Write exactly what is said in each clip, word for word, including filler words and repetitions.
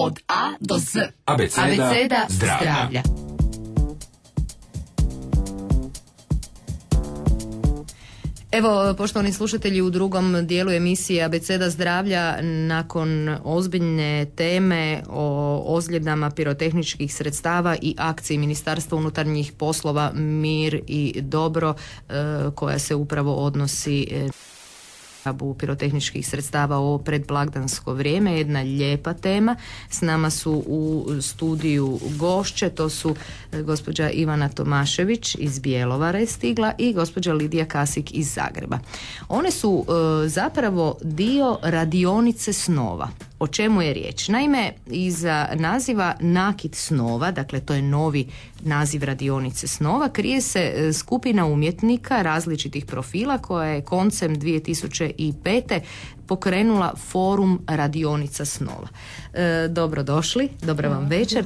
od A do Z. Abeceda, Abeceda zdravlja. zdravlja. Evo, poštovani slušatelji, u drugom dijelu emisije Abeceda zdravlja, nakon ozbiljne teme o ozljedama pirotehničkih sredstava i akciji Ministarstva unutarnjih poslova Mir i dobro, koja se upravo odnosi pirotehničkih sredstava o predblagdansko vrijeme, jedna lijepa tema. S nama su u studiju gošće, to su gospođa Ivana Tomašević iz Bjelovara je stigla i gospođa Lidija Kasik iz Zagreba. One su e, zapravo dio radionice snova. O čemu je riječ? Naime, iza naziva Nakit snova, dakle to je novi naziv radionice snova, krije se skupina umjetnika različitih profila koja je koncem dvije tisuće pete pokrenula forum radionica snova. E, dobro došli, dobra vam večer.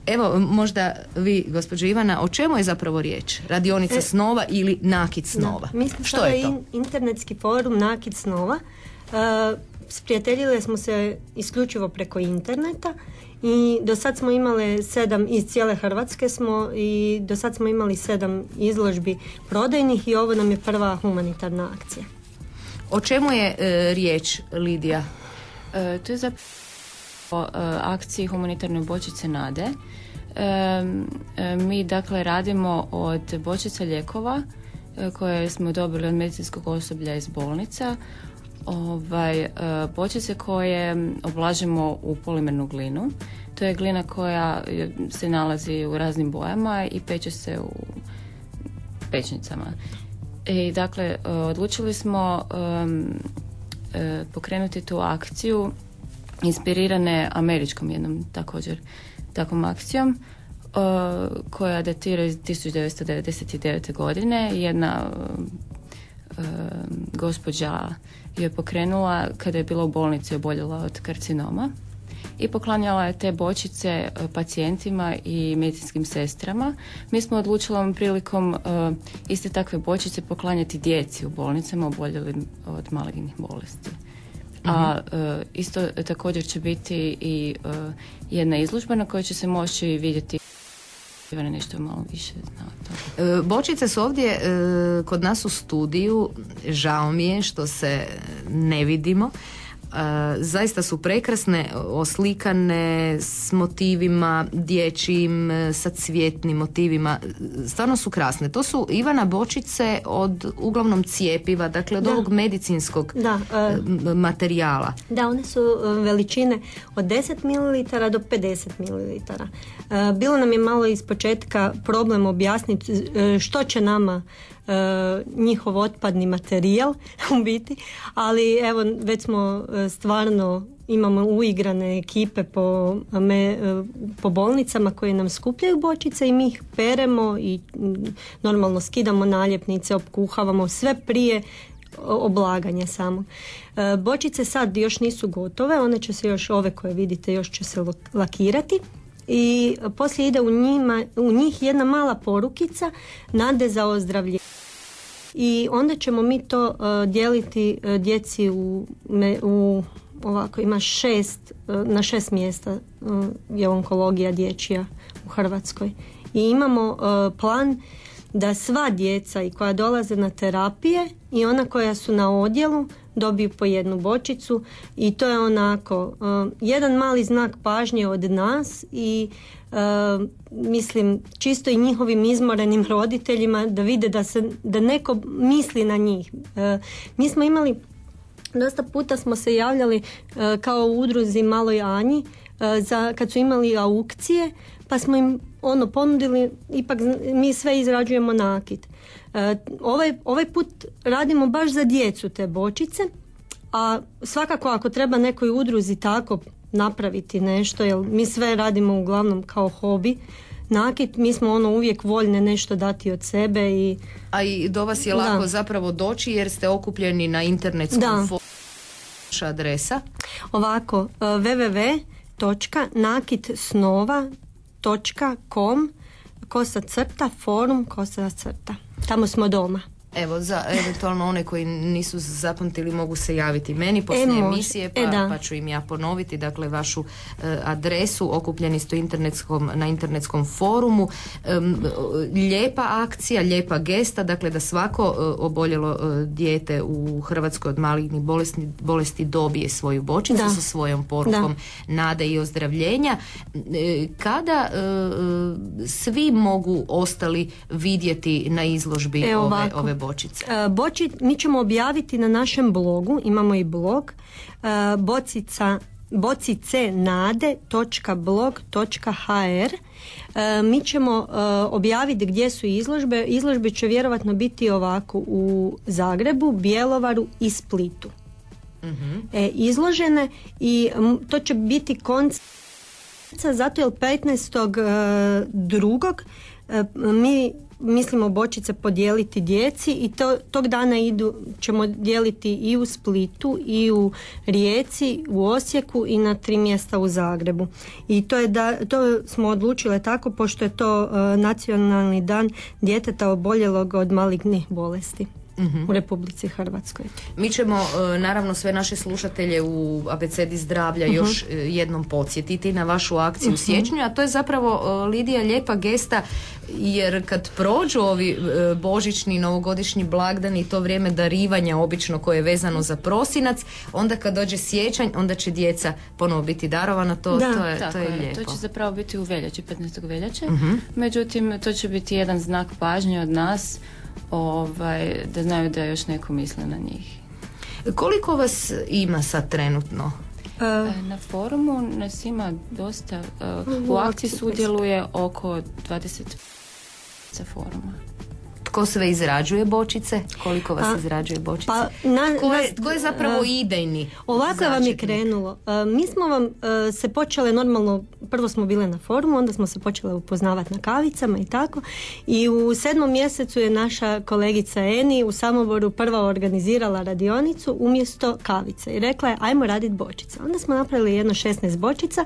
Evo, možda vi, gospođo Ivana, o čemu je zapravo riječ? Radionica e, snova ili Nakit snova? Da, mislim, što je to? In, internetski forum Nakit snova. Uh, Sprijateljile smo se isključivo preko interneta i do sad smo imali sedam, iz cijele Hrvatske smo i do sad smo imali sedam izložbi prodajnih i ovo nam je prva humanitarna akcija. O čemu je e, riječ, Lidija? E, to je za o e, akciji humanitarne bočice nade. E, e, mi dakle radimo od bočica lijekova e, koje smo dobili od medicinskog osoblja iz bolnica. Ovaj, e, bočice koje oblažemo u polimernu glinu. To je glina koja se nalazi u raznim bojama i peče se u pečnicama. I dakle, odlučili smo um, uh, pokrenuti tu akciju inspirirane američkom jednom također takvom akcijom uh, koja datira iz tisuću devetsto devedeset devete. godine. Jedna uh, gospođa je pokrenula kada je bila u bolnici, oboljela od karcinoma i poklanjala je te bočice pacijentima i medicinskim sestrama. Mi smo odlučili ovom prilikom uh, iste takve bočice poklanjati djeci u bolnicama oboljelim od malignih bolesti. Uh-huh. A uh, isto također će biti i uh, jedna izložba na kojoj će se moći vidjeti nešto malo više zna o bočice su ovdje e, kod nas u studiju. Žao mi je što se ne vidimo. Uh, zaista su prekrasne, oslikane s motivima dječjim, sa cvjetnim motivima, stvarno su krasne. To su, Ivana, bočice od uglavnom cijepiva, dakle od da. ovog medicinskog da, uh, materijala. Da, one su veličine od deset mililitara do pedeset mililitara. Uh, bilo nam je malo ispočetka problem objasniti uh, što će nama Uh, njihov otpadni materijal u biti, ali evo već smo uh, stvarno imamo uigrane ekipe po, me, uh, po bolnicama koje nam skupljaju bočice i mi ih peremo i um, normalno skidamo naljepnice, opkuhavamo sve prije oblaganja samo. Uh, bočice sad još nisu gotove, one će se još, ove koje vidite, još će se lakirati. I poslije ide u, njima, u njih jedna mala porukica nade za ozdravljenje. I onda ćemo mi to uh, dijeliti uh, djeci u, me, u ovako ima šest, uh, na šest mjesta uh, je onkologija dječja u Hrvatskoj. I imamo uh, plan da sva djeca i koja dolaze na terapije i ona koja su na odjelu dobiju po jednu bočicu i to je onako uh, jedan mali znak pažnje od nas i uh, mislim čisto i njihovim izmorenim roditeljima da vide da se da neko misli na njih. Uh, mi smo imali dosta puta smo se javljali uh, kao u udruzi Maloj Anji uh, za kad su imali aukcije, pa smo im ono ponudili, ipak mi sve izrađujemo nakit. E, ovaj, ovaj put radimo baš za djecu te bočice, a svakako ako treba nekoj udruzi tako napraviti nešto, jer mi sve radimo uglavnom kao hobi, nakit, mi smo ono uvijek voljne nešto dati od sebe. I, a i do vas je lako da. zapravo doći jer ste okupljeni na internetskom forumu. Vaša adresa? Ovako, w w w točka nakit snova točka com kosa crta forum kosa crta. Tamo smo doma. Evo, za eventualno one koji nisu zapamtili mogu se javiti meni poslije e, emisije, pa, e, pa ću im ja ponoviti, dakle, vašu e, adresu. Okupljeni ste internetskom, na internetskom forumu. E, lijepa akcija, lijepa gesta, dakle, da svako e, oboljelo e, dijete u Hrvatskoj od malignih bolesti, bolesti dobije svoju bočicu da. sa svojom porukom da. nade i ozdravljenja. E, kada e, svi mogu ostali vidjeti na izložbi e, ove, ove bočice? Boči, mi ćemo objaviti na našem blogu, imamo i blog, bocica, bocicenade točka blog točka ha er. Mi ćemo objaviti gdje su izložbe. Izložbe će vjerovatno biti ovako u Zagrebu, Bjelovaru i Splitu. Mm-hmm. E, izložene i to će biti konc zato jer petnaestog drugog mi mislimo bočice podijeliti djeci i to, tog dana idu, ćemo dijeliti i u Splitu i u Rijeci, u Osijeku i na tri mjesta u Zagrebu. I to, je da, to smo odlučile tako pošto je to uh, nacionalni dan djeteta oboljelog od malignih bolesti. Mm-hmm. u Republici Hrvatskoj. Mi ćemo uh, naravno sve naše slušatelje u Abecedi zdravlja uh-huh. još uh, jednom podsjetiti na vašu akciju uh-huh. u siječnju, a to je zapravo uh, Lidija lijepa gesta, jer kad prođu ovi uh, božićni novogodišnji blagdani i to vrijeme darivanja obično koje je vezano za prosinac, onda kad dođe siječanj onda će djeca ponovo biti darovana, to, da, to, je, to je lijepo. To će zapravo biti u veljači, petnaestog veljače, uh-huh. međutim to će biti jedan znak pažnje od nas, Ovaj, da znaju da još neko misle na njih. Koliko vas ima sad trenutno? Uh, na forumu nas ima dosta. Uh, u akciji sudjeluje oko dvadeset za foruma. Tko sve izrađuje bočice? Koliko vas a, izrađuje bočice? Pa, na, tko, je, tko je zapravo uh, idejni? Ovako začetnik? Vam je krenulo. Uh, mi smo vam uh, se počele normalno, prvo smo bile na forumu, onda smo se počele upoznavati na kavicama i tako. I u sedmom mjesecu je naša kolegica Eni u Samoboru prva organizirala radionicu umjesto kavice. I rekla je, ajmo raditi bočice. Onda smo napravili jedno šesnaest bočica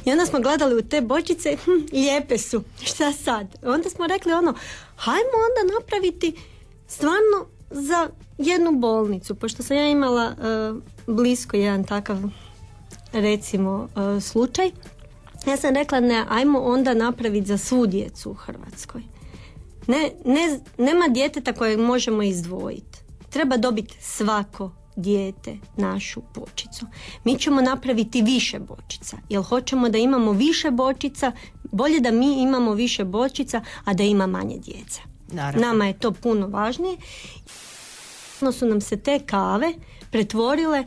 i onda smo gledali u te bočice, hm, lijepe su, šta sad? Onda smo rekli ono, hajmo onda napraviti stvarno za jednu bolnicu, pošto sam ja imala uh, blisko jedan takav recimo uh, slučaj. Ja sam rekla ne, ajmo onda napraviti za svu djecu u Hrvatskoj. Ne, ne, nema djeteta kojeg možemo izdvojiti. Treba dobiti svako dijete našu bočicu. Mi ćemo napraviti više bočica, jer hoćemo da imamo više bočica, bolje da mi imamo više bočica, a da ima manje djece. Naravno. Nama je to puno važnije. Su nam se te kave pretvorile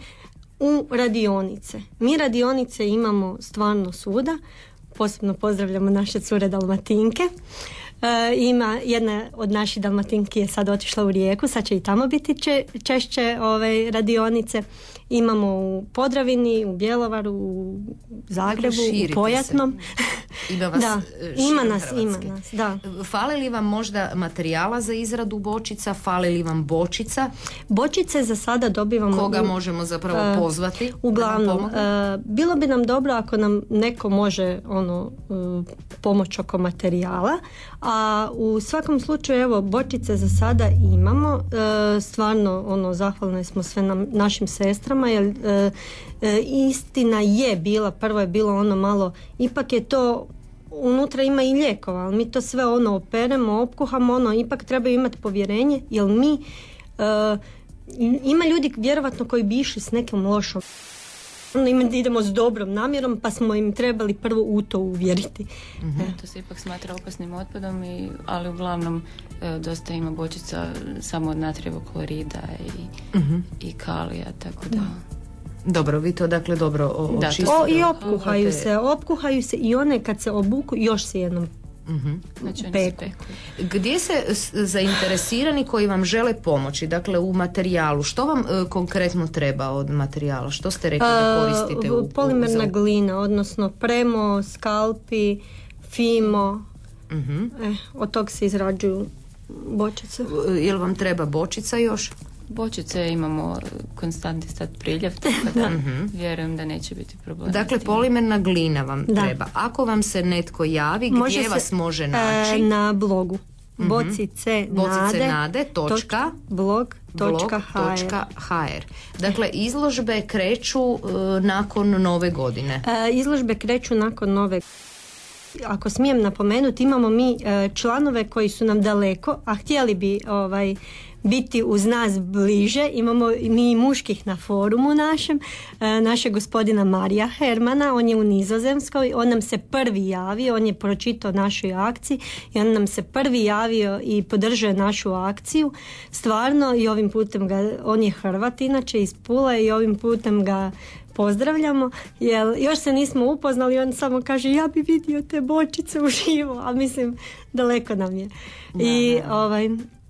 u radionice. Mi radionice imamo stvarno svuda. Posebno pozdravljamo naše cure Dalmatinke. E, ima jedna od naših Dalmatinki je sad otišla u Rijeku, sad će i tamo biti če, češće ove radionice. Imamo u Podravini, u Bjelovaru, u Zagrebu, u Pojatnom. Ima vas da, ima nas, ima nas, da. Fali li vam možda materijala za izradu bočica? Fali li vam bočica? Bočice za sada dobivamo... Koga u, možemo zapravo uh, pozvati? Uglavnom, uh, bilo bi nam dobro ako nam neko može ono uh, pomoć oko materijala, a u svakom slučaju evo bočice za sada imamo. Uh, stvarno ono zahvalne smo sve nam, našim sestrama jer uh, E, istina je bila, prvo je bilo ono malo, ipak je to, unutra ima i lijekova, ali mi to sve ono operemo, opkuhamo, ono, ipak treba imati povjerenje, jer mi, e, ima ljudi vjerovatno koji bi išli s nekim lošom, ono, idemo s dobrom namjerom, pa smo im trebali prvo u to uvjeriti. Mm-hmm. E. To se ipak smatra opasnim otpadom, i, ali uglavnom e, dosta ima bočica samo od natrijevog klorida i, mm-hmm. i kalija, tako da... Dobro, vi to dakle dobro očistite. O, i opkuhaju se, opkuhaju se i one kad se obuku još se jednom uh-huh. znači, peku. Gdje se zainteresirani koji vam žele pomoći, dakle u materijalu, što vam uh, konkretno treba od materijala? Što ste rekli da koristite? Uh, u, polimerna u, za... glina, odnosno premo, skalpi, fimo, uh-huh. eh, od tog se izrađuju bočice. Uh, jel vam treba bočica još? Bočice imamo konstantni stat priljev, tako da vjerujem da neće biti problem. Dakle, polimerna glina vam da. treba. Ako vam se netko javi, može gdje se, vas može naći? E, na blogu. bocice bocice nade, nade točka blog točka hr. Dakle, izložbe kreću uh, nakon nove godine. E, izložbe kreću nakon nove. Ako smijem napomenuti, imamo mi e, članove koji su nam daleko, a htjeli bi ovaj biti uz nas bliže. Imamo mi muških na forumu našem, e, našeg gospodina Marija Hermana, on je u Nizozemskoj, on nam se prvi javio, on je pročitao našoj akciji i on nam se prvi javio i podržao našu akciju. Stvarno, i ovim putem ga, on je Hrvat inače iz Pule, i ovim putem ga pozdravljamo, jer još se nismo upoznali, on samo kaže ja bi vidio te bočice uživo, a mislim daleko nam je. Da, I da. ovaj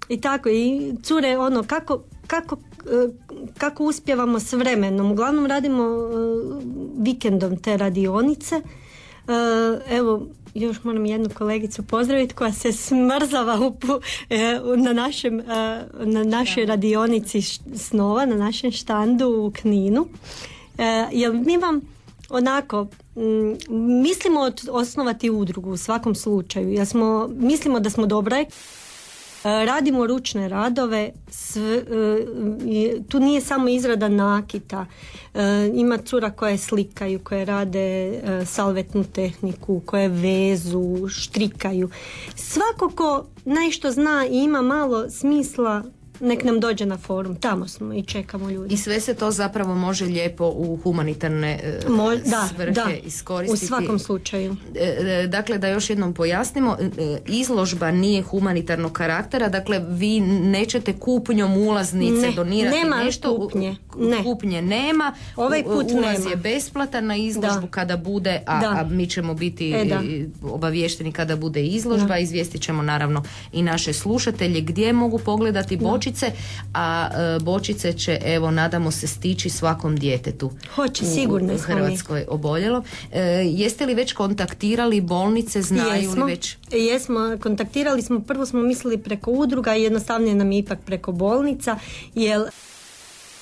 I tako, i cure, ono, kako, kako, kako uspijevamo s vremenom. Uglavnom radimo uh, vikendom te radionice. Uh, evo, još moram jednu kolegicu pozdraviti koja se smrzava u, uh, na, našem, uh, na našoj radionici snova, na našem štandu u Kninu. Uh, jer mi vam onako m, mislimo od, osnovati udrugu u svakom slučaju, jer smo, mislimo da smo dobra. Radimo ručne radove, sve, tu nije samo izrada nakita, ima cura koje slikaju, koje rade salvetnu tehniku, koje vezu, štrikaju. Svako ko nešto zna i ima malo smisla, nek nam dođe na forum, tamo smo i čekamo ljudi. I sve se to zapravo može lijepo u humanitarne Mo, da, svrhe da, iskoristiti. U svakom slučaju. Dakle, da još jednom pojasnimo, izložba nije humanitarnog karaktera, dakle vi nećete kupnjom ulaznice ne, donirati nema nešto. Kupnje. Ne. Kupnje nema. Ovaj put Ulaz nema. je besplatan na izložbu da. kada bude, a, a mi ćemo biti e, obavješteni kada bude izložba. Da. Izvijestit ćemo naravno i naše slušatelje gdje mogu pogledati bočice. A e, bočice će, evo, nadamo se stići svakom djetetu. Hoće, sigurno u Hrvatskoj oboljelo. E, jeste li već kontaktirali bolnice, znaju jesmo, li već? Jesmo, kontaktirali smo, prvo smo mislili preko udruga i jednostavnije nam je ipak preko bolnica, jer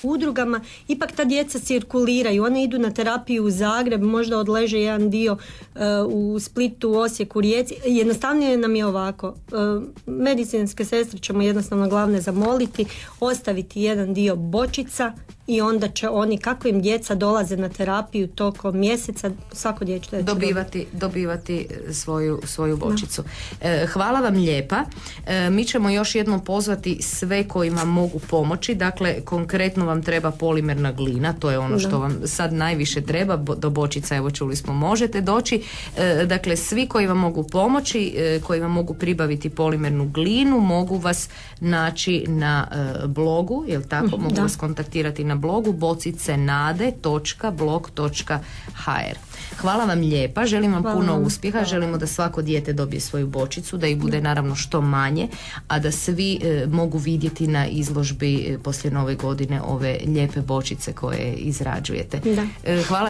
udrugama ipak ta djeca cirkuliraju, one idu na terapiju u Zagreb, možda odleže jedan dio uh, u Splitu, u Osijeku, Rijeci. Jednostavnije nam je ovako, uh, medicinske sestre ćemo jednostavno glavne zamoliti, ostaviti jedan dio bočica i onda će oni, kako im djeca dolaze na terapiju tokom mjeseca, svako dječje dobivati, dobivati svoju, svoju bočicu. E, hvala vam lijepa. E, mi ćemo još jednom pozvati sve kojima mogu pomoći. Dakle, konkretno vam treba polimerna glina, to je ono da. što vam sad najviše treba. Do bočica, evo čuli smo, možete doći. E, dakle, svi koji vam mogu pomoći, e, koji vam mogu pribaviti polimernu glinu, mogu vas naći na e, blogu, jel tako? Mogu da. vas kontaktirati na blogu bocice nade točka blog točka hr. Hvala vam lijepa, želim vam Hvala. puno uspjeha, Hvala. želimo da svako dijete dobije svoju bočicu, da ih bude naravno što manje, a da svi e, mogu vidjeti na izložbi e, poslije nove godine ove lijepe bočice koje izrađujete. E, hvala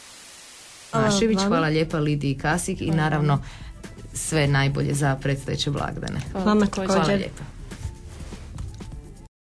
Mašević, hvala, hvala lijepa Lidiji Kasik i naravno sve najbolje za predstojeće blagdane. Hvala, hvala lijepa.